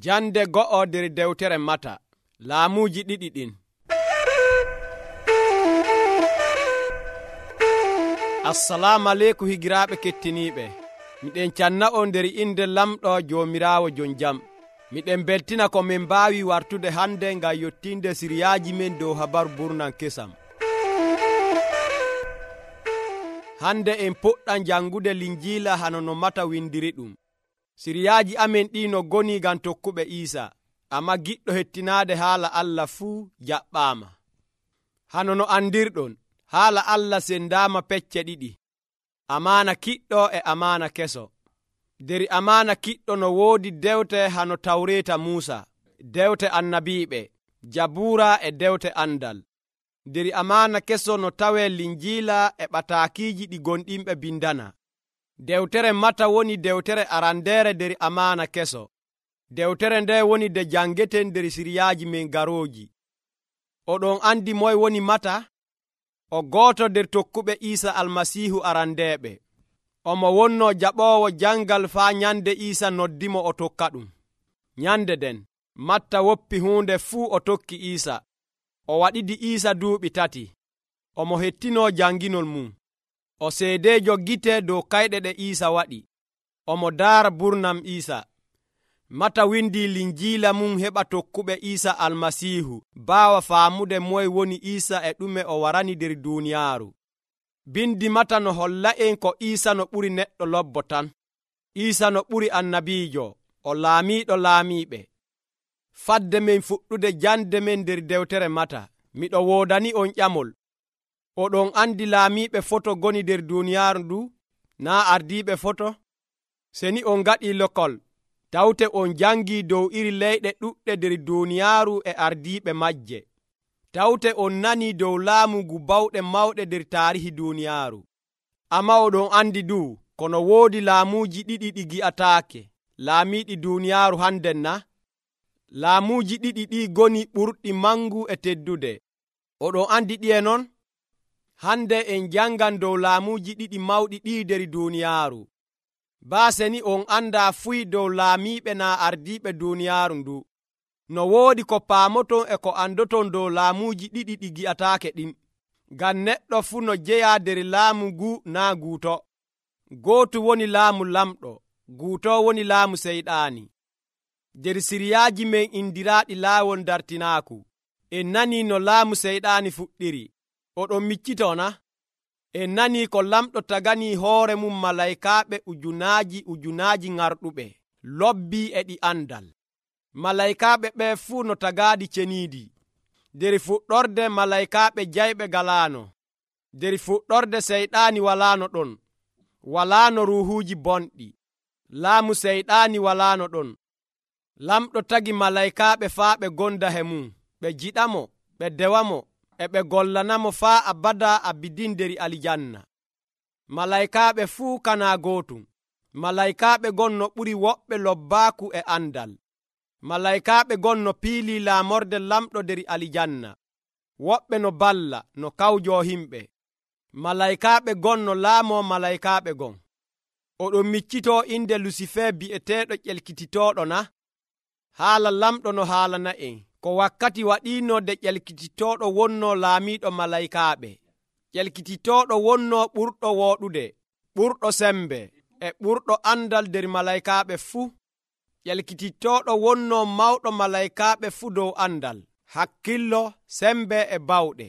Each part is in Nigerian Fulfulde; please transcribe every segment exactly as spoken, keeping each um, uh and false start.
Jande go'o nder dewtere Mata. Laamuuji ɗiɗi ɗin. Assalamu aleykum higiraaɓe kettiniiɓe. Miɗen canna on nder inde lamɗo Joomiraawo jon jam. Miɗen beltina ko min mbaawi wartude hande ngam yottinde siriyaaji men dow habaru burnan kesam. Hande en puɗɗan jangude linjiila hano no Mata windiri ɗum. Siriyaaji amen ɗi no goni ngam tokkuɓe Iisa, amma giɗɗo hettinaade haala Allah fuu jaɓɓaama. Hano no andirɗon, haala Allah sendaama pecce ɗiɗi, amaana kiɗɗo e amaana keso. Nder amaana kiɗɗo no woodi dewte hano Tawreeta Muusa, dewte annabiiɓe, Jabuura e dewte andal. Nder amaana keso no tawee linjiila e ɓataakiiji ɗi gonɗinɓe bindana. Dewtere Mata woni dewtere arandeere nder amaana keso. Dewtere nde woni de jangeten nder siriyaaji men garooji. Oɗon andi moye woni Mata? O gooto nder tokkuɓe Iisa Almasiihu arandeeɓe. Omo wonno jaɓoowo jangal faa nyande Iisa noddimo o tokka ɗum. Nyande den, Matta woppi huunde fuu o tokki Iisa. O waɗidi Iisa duuɓi tati. Omo hettinoo janginol mum. O seedeejo gite dow kayɗe ɗe Iisa waɗi. Omo daara burnam Iisa. Mata windi linjiila mum heɓa tokkuɓe Iisa Almasiihu baawa faamude moye woni Iisa e ɗume o warani nder duuniyaaru. Bindi Mata no holla'en ko Iisa no ɓuri neɗɗo lobbo tan. Iisa no ɓuri annabiijo, o laamiiɗo laamiiɓe. Fadde men fuɗɗude jande men nder dewtere Mata, miɗo woodani on ƴamol. Oɗon andi laamiiɓe foto goni nder duuniyaaru ndu, naa ardiiɓe foto? Seni on ngaɗii lokol, tawte on jangii dow iri leyɗe ɗuɗɗe nder duuniyaaru e ardiiɓe majje. Tawte on nanii dow laamu ngu bawɗe mawɗe nder taarihi duuniyaaru. Amma oɗon andi du, kono woodi laamuuji ɗiɗi ɗi gi'ataake, laamiiɗi duuniyaaru handen na? Laamuuji ɗiɗi ɗi goni ɓurɗi mangu e teddude. Oɗon andi ɗiye non? Hande en jangan dow laamuuji ɗiɗi mawɗi ɗi nder duuniyaaru. Baase ni on anda fuy dow laamiiɓe naa ardiiɓe duuniyaaru ndu. No woodi ko paamoton e ko andoton dow laamuuji ɗiɗi ɗi gi'ataake ɗin. Ngam neɗɗo fuu no jeyaa nder laamu ngu naa guuto. Gootu woni laamu lamɗo, guuto woni laamu seyɗaani. Nder siriyaaji men indiraaɗi laawol dartinaaku, en nanii no laamu seyɗaani fuɗɗiri. Oɗon miccitoo na? En nanii ko lamɗo tagani hoore mum malaykaaɓe ujunaaji ujunaaji ŋarɗuɓe, lobbii e ɗi andal. Malaykaaɓe ɓe fuu no tagaaɗi ceniidi. Nder fuɗɗorde malaykaaɓe jayɓe galaano. Nder fuɗɗorde seyɗaani walaano ɗon. Walaano ruuhuuji bonɗi. Laamu seyɗaani walaano ɗon. Lamɗo tagi malaykaaɓe faa ɓe gonda he mum, ɓe jiɗamo, ɓe dewamo, e ɓe gollanamo faa abada abidin nder alijanna. Malaykaaɓe fuu kanaa gootum. Malaykaaɓe gon no ɓuri woɓɓe lobbaaku e andal. Malaykaaɓe gon no piilii laamorde lamɗo nder alijanna. Woɓɓe no balla, no kawjoo himɓe. Malaykaaɓe gon no laamoo malaykaaɓe gon. Oɗon miccitoo inde Lusife bi'eteeɗo ƴelkititooɗo na? Haala lamɗo no haalana en, ko wakkati waɗiino de ƴelkititooɗo wonnoo laamiiɗo malaykaaɓe. Ƴelkititooɗo wonnoo ɓurɗo wooɗude, ɓurɗo sembe, e ɓurɗo andal nder malaykaaɓe fuu. Ƴelkititooɗo wonnoo mawɗo malaykaaɓe fuu dow andal, hakkillo, sembe e bawɗe.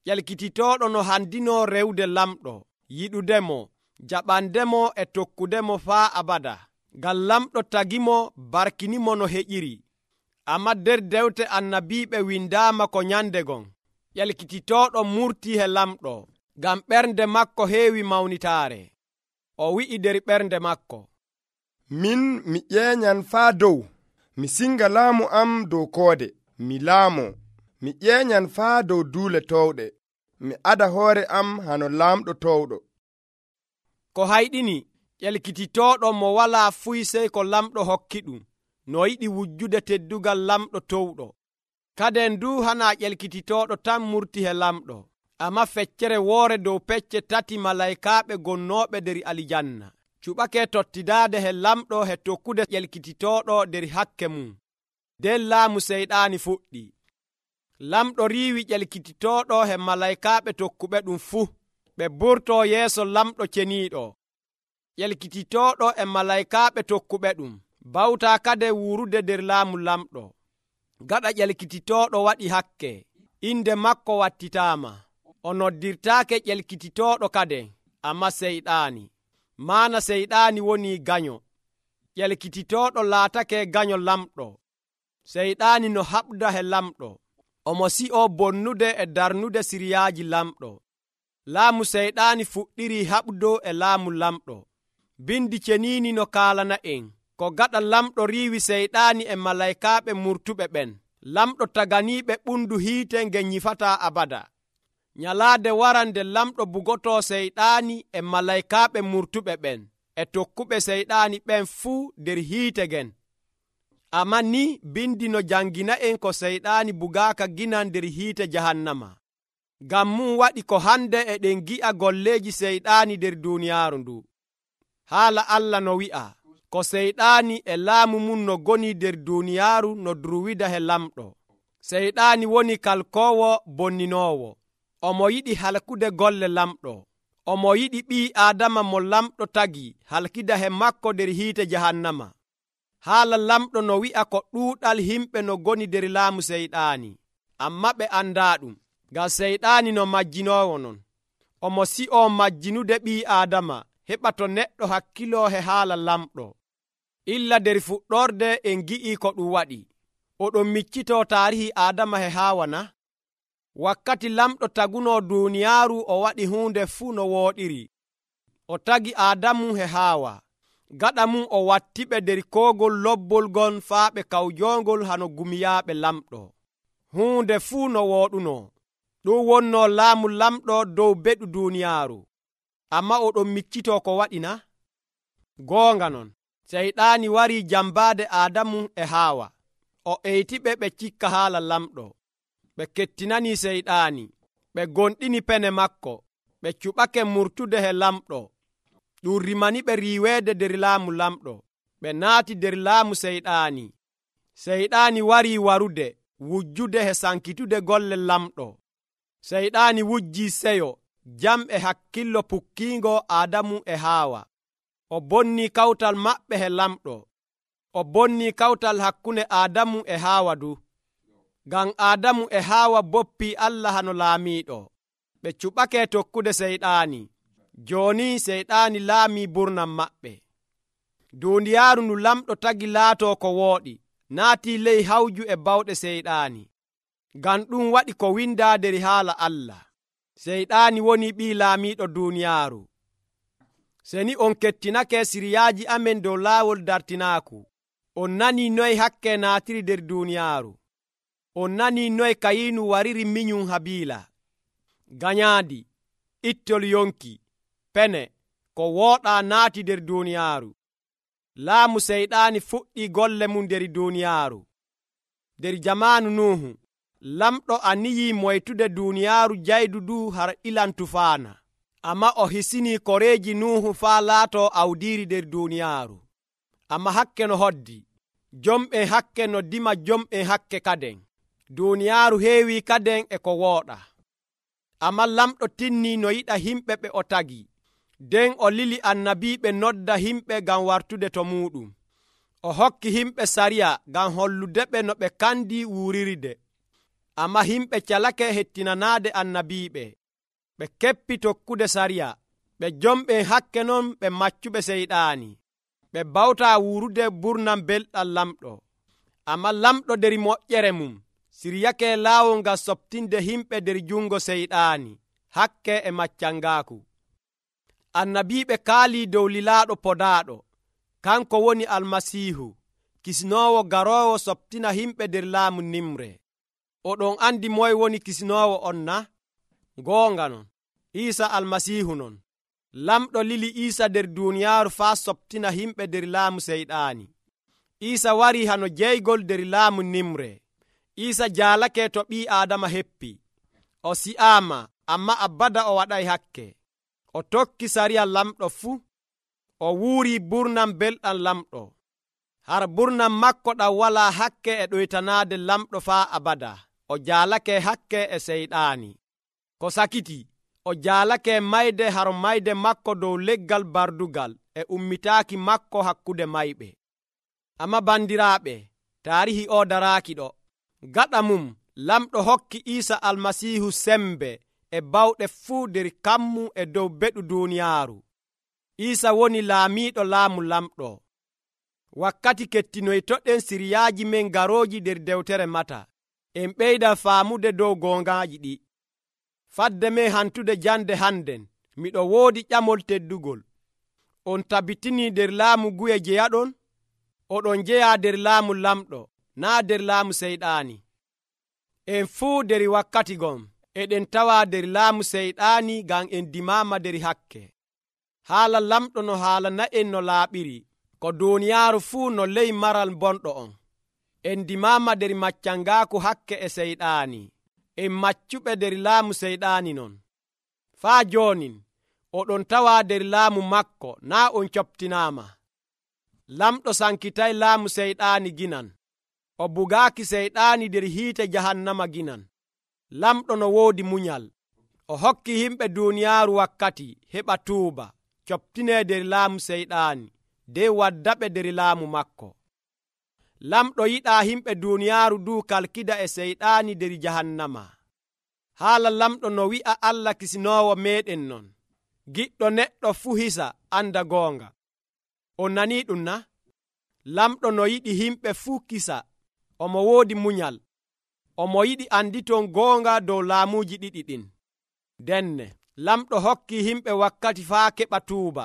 Ƴelkititooɗo no handinoo rewde lamɗo, yiɗudemo, jaɓandemo e tokkudemo faa abada. Ngam lamɗo tagimo barkinimo no heƴiri. Amma nder dewte annabiiɓe windaama ko nyande gon. Ƴelkititooɗo murtii he lamɗo, ngam ɓernde makko heewi mawnitaare. O wi'i nder ɓernde makko, min mi ƴeeñan faa dow, mi singa laamu am dow koode, mi laamoo. Mi ƴeeñan faa dow duule towɗe, mi ada hoore am hano laamɗo towɗo. Ko hayɗini, ƴelkititooɗo mo walaa fuy sey ko lamɗo hokki ɗum, no yiɗi wujjude teddugal lamɗo towɗo. Kaden du hanaa ƴelkititooɗo tan murti he lamɗo, amma feccere woore dow pecce tati malaykaaɓe gonnooɓe nder alijanna. cuɓake tottidaade he lamɗo he tokkude ƴelkititooɗo nder hakke mum. nden laamu seyɗaani fuɗɗi. Lamɗo riiwi ƴelkititooɗo he malaykaaɓe tokkuɓe ɗum fuu, ɓe burtoo yeeso lamɗo ceniiɗo. ƴelkititooɗo e malaykaaɓe tokkuɓe ɗum bawtaa kade wuurude nder laamu lamɗo. Gaɗa ƴelkititooɗo waɗi hakke, inde makko wattitaama. O noddirtaake ƴelkititooɗo kade, ammaa seyɗaani. Maana seyɗaani woni ganyo. ƴelkititooɗo laatake ganyo lamɗo. Seyɗaani no haɓda he lamɗo. Omo si'oo bonnude e darnude siriyaaji lamɗo. Laamu seyɗaani fuɗɗirii haɓdo e laamu lamɗo. Bindi ceniini no kaalana en ko gaɗa lamɗo riiwi seyɗaani e malaykaaɓe murtuɓe ɓen. Lamɗo taganiiɓe ɓundu hiite nge nyifataa abada. Nyalaade waran nde lamɗo bugotoo seyɗaani e malaykaaɓe murtuɓe ɓen e tokkuɓe seyɗaani ɓen fuu nder hiite gen. Ammaa ni bindi no jangina en ko seyɗaani bugaaka ginan nder hiite jahannama. Ngam mum waɗi ko hande eɗen gi'a golleeji seyɗaani nder duuniyaaru ndu. Haala Allah no wi'a ko seyɗaani e laamu mum no goni nder duuniyaaru no durwida he lamɗo. Seyɗaani woni kalkoowo bonninoowo. Omo yiɗi halkude golle lamɗo. Omo yiɗi ɓii Aadama mo lamɗo tagi halkida he makko nder hiite jahannama. Haala lamɗo no wi'a ko ɗuuɗal himɓe no goni nder laamu seyɗaani, ammaa ɓe andaa ɗum, ngam seyɗaani no majjinoowo non. Omo si'oo majjinude ɓii Aadama heɓa to neɗɗo hakkiloo he haala lamɗo. Illa nder fuɗɗorde en gi'ii ko ɗum waɗi. Oɗon miccitoo taarihi Aadama he Haawa na? Wakkati lamɗo tagunoo duuniyaaru o waɗi huunde fuu no wooɗiri. O tagi Aadamu he Haawa. Gaɗa mum o wattiɓe nder koogol lobbol gon faaɓe kawjoongol hano gumiyaaɓe lamɗo. Huunde fuu no wooɗunoo. Ɗum wonnoo laamu lamɗo dow beɗu duuniyaaru. Ammaa oɗon miccitoo ko waɗi na? Goonga non, seyɗaani warii jambaade Aadamu e Haawa. O eytiɓe ɓe cikka haala lamɗo. Ɓe kettinanii seyɗaani. Ɓe gonɗini pene makko. Ɓe cuɓake murtude he lamɗo. Ɗum rimani ɓe riiweede nder laamu lamɗo. Ɓe naati nder laamu seyɗaani. Seyɗaani warii warude wujjude he sankitude golle lamɗo. Seyɗaani wujjii seyo, jam e hakkillo pukkiingo Aadamu e Haawa. O bonnii kawtal maɓɓe he lamɗo. O bonnii kawtal hakkunde Aadamu e Haawa du. Ngam Aadamu e Haawa boppii Allah hano laamiiɗo. Ɓe cuɓake tokkude seyɗaani. Jooni seyɗaani laamii burnam maɓɓe. Duuniyaaru ndu lamɗo tagi laatoo ko wooɗi, naatii ley hawju e bawɗe seyɗaani. Ngam ɗum waɗi ko windaa nder haala Allah. Seyɗaani woni ɓii laamiiɗo duuniyaaru. Seni on kettinake siriyaaji amen dow laawol dartinaaku. On nanii noy hakke naatiri nder duuniyaaru. On nanii noy Kayiinu wariri minyum Habiila. Ganyaandi, ittol yonki, pene, ko wooɗaa naati nder duuniyaaru. Laamu seyɗaani fuɗɗii golle mum nder duuniyaaru. Nder jamaanu Nuuhu, lamɗo aniyii moytude duuniyaaru jaydu du har ilan tufaana. Ammaa o hisinii koreeji Nuuhu faa laatoo awdiiri nder duuniyaaru. Ammaa hakke no hoddi. Jomɓen hakke no dima jomɓen hakke kaden. Duuniyaaru heewii kaden e ko wooɗa. Ammaa lamɗo tinnii no yiɗa himɓe ɓe o tagi. Nden o lili annabiiɓe nodda himɓe ngam wartude to muuɗum. O hokki himɓe sariya ngam holludeɓe no ɓe kandi wuurirde. Ammaa himɓe calake hettinanaade annabiiɓe. Ɓe keppi tokkude sariya. Ɓe jomɓen hakke non ɓe maccuɓe seyɗaani. Ɓe bawtaa wuurude burnam belɗam lamɗo. Ammaa lamɗo nder moƴƴere mum siryake laawol ngam soɓtinde himɓe nder jungo seyɗaani, hakke e maccangaaku. Annabiiɓe kaalii dow lilaaɗo podaaɗo, kanko woni Almasiihu, kisnoowo garoowo soɓtina himɓe nder laamu nimre. Oɗon andi moy woni kisnoowo on na? Goonga non, Iisa Almasiihu non. Lamɗo lili Iisa nder duuniyaaru faa soɓtina himɓe nder laamu seyɗaani. Iisa warii hano jeygol nder laamu nimre. Iisa jaalake to ɓii Aadama heppi. O si'aama, ammaa abada o waɗay hakke. O tokki sariya lamɗo fuu. o wuuri burnam belɗam lamɗo. har burnam makko ɗam walaa hakke e ɗoytanaade lamɗo faa abada. O jaalake hakke e seyɗaani. Ko sakiti, o jaalake mayde har mayde makko dow leggal bardugal e ummitaaki makko hakkude mayɓe. Amma bandiraaɓe, taarihi o daraaki ɗo. Gaɗa mum, lamɗo hokki Iisa Almasiihu sembe e bawɗe fuu nder kammu e dow beɗu duuniyaaru. Iisa woni laamiiɗo laamu lamɗo. Wakkati kettinoytoɗen siriyaaji men garooji nder dewtere Mata, en ɓeyda faamude dow goongaaji ɗi. Fadde men hantude jande hannden, miɗo woodi ƴamol teddugol. On tabitinii nder laamu guye jeyaɗon? Oɗon jeyaa nder laamu lamɗo, naa nder laamu seyɗaani. En fuu nder wakkati gon eɗen tawa nder laamu seyɗaani ngam en dimaama nder hakke. Haala lamɗo no haalana'en no laaɓiri, ko duuniyaaru fuu no ley maral bonɗo on. En dimaama nder maccangaaku hakke e seyɗaani. En maccuɓe nder laamu seyɗaani non. Faa joonin, oɗon tawa nder laamu makko, naa on coɓtinaama. Lamɗo sankitay laamu seyɗaani ginan. O bugaaki seyɗaani nder hiite jahannama ginan. Lamɗo no woodi munyal. O hokki himɓe duuniyaaru wakkati heɓa tuuba, coɓtinee nder laamu seyɗaani, de waddaɓe nder laamu makko. Lamɗo yiɗaa himɓe duuniyaaru du kalkida e seyɗaani nder jahannama. Haala lamɗo no wi'a Allah kisinoowo meeɗen non. Giɗɗo neɗɗo fuu hisa anda goonga. On nanii ɗum na? Lamɗo no yiɗi himɓe fuu kisa. Omo woodi munyal. Omo yiɗi anditon goonga dow laamuuji ɗiɗi ɗin. Denne, lamɗo hokki himɓe wakkati faa keɓa tuuba.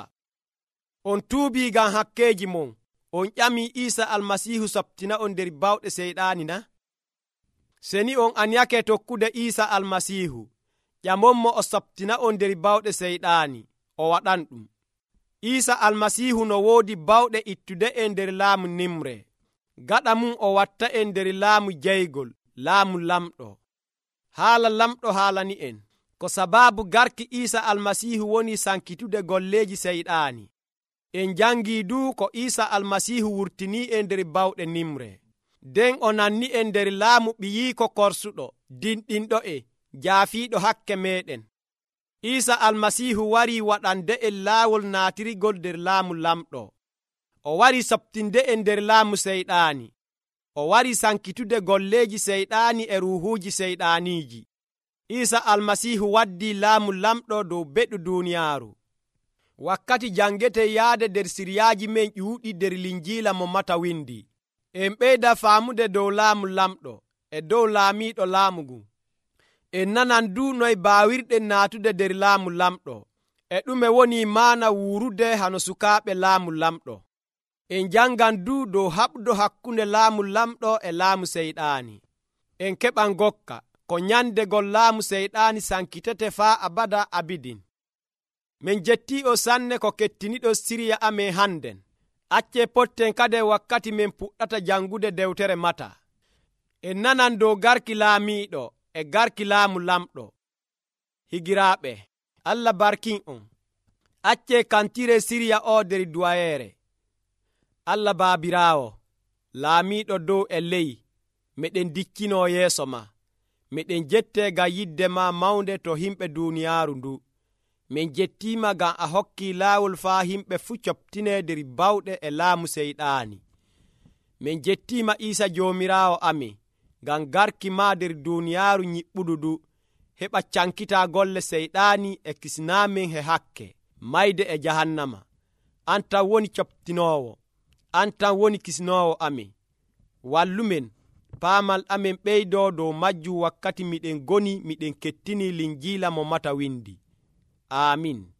On tuubii ngam hakkeeji mon. On ƴamii Iisa Almasiihu soɓtina on nder bawɗe seyɗaani na? Seni on anyake tokkude Iisa Almasiihu, ƴamonmo o soɓtina on nder bawɗe seyɗaani, o waɗan ɗum. Iisa Almasiihu no woodi bawɗe ittude en nder laamu nimre. Gaɗa mum o watta en nder laamu jeygol, laamu lamɗo. Haala lamɗo haalani en, ko sabaabu garki Iisa Almasiihu woni sankitude golleeji seyɗaani. En jangii du ko Iisa Almasiihu wurtinii en nder bawɗe nimre. Den o nanni en nder laamu ɓiyiiko korsuɗo, dinɗinɗo e jaafiiɗo hakke meeɗen. Iisa Almasiihu warii waɗande en laawol naatirigol nder laamu lamɗo. O warii soɓtinde en nder laamu seyɗaani. O warii sankitude golleeji seyɗaani e ruuhuuji seyɗaaniiji. Iisa Almasiihu waddii laamu lamɗo dow beɗu duuniyaaru. Wakkati jangeten yaade nder siriyaaji men ƴuuɗi nder linjiila mo Mata windi. En ɓeyda faamude dow laamu lamɗo e dow laamiiɗo laamu ngun. En nanan du noye baawirɗen naatude nder laamu lamɗo, e ɗume woni maana wuurude hano sukaaɓe laamu lamɗo. En jangan du dow haɓdo hakkunde laamu lamɗo e laamu seyɗaani. En keɓan gokka ko nyandegol laamu seyɗaani sankitete faa abada abidin. Min jettii o sanne ko kettiniɗo siriya amen hannden. Acce potten kade wakkati min puɗɗata jangude dewtere Mata. En nanan dow garki laamiiɗo e garki laamu lamɗo. Higiraaɓe, Allah barkin on. Acce kantire siriya o nder duwayeere. Allah baabiraawo, laamiiɗo dow e ley, meɗen dikkinoo yeeso ma. Meɗen jettee ngam yidde ma mawnde to himɓe duuniyaaru ndu. Min jettiima ngam a hokkii laawol faa himɓe fuu coɓtinee nder bawɗe e laamu seyɗaani. Min jettiima Iisa Joomiraawo amin, ngam garki maa nder duuniyaaru nyiɓɓudu du, heɓa cankitaa golle seyɗaani e kisnaamin he hakke, mayde e jahannama. An tan woni coɓtinoowo, an tan woni kisnoowo amin. Wallumen, paamal amin ɓeydoo dow majjum wakkati miɗen goni miɗen kettinii linjiila mo Mata windi. Amin.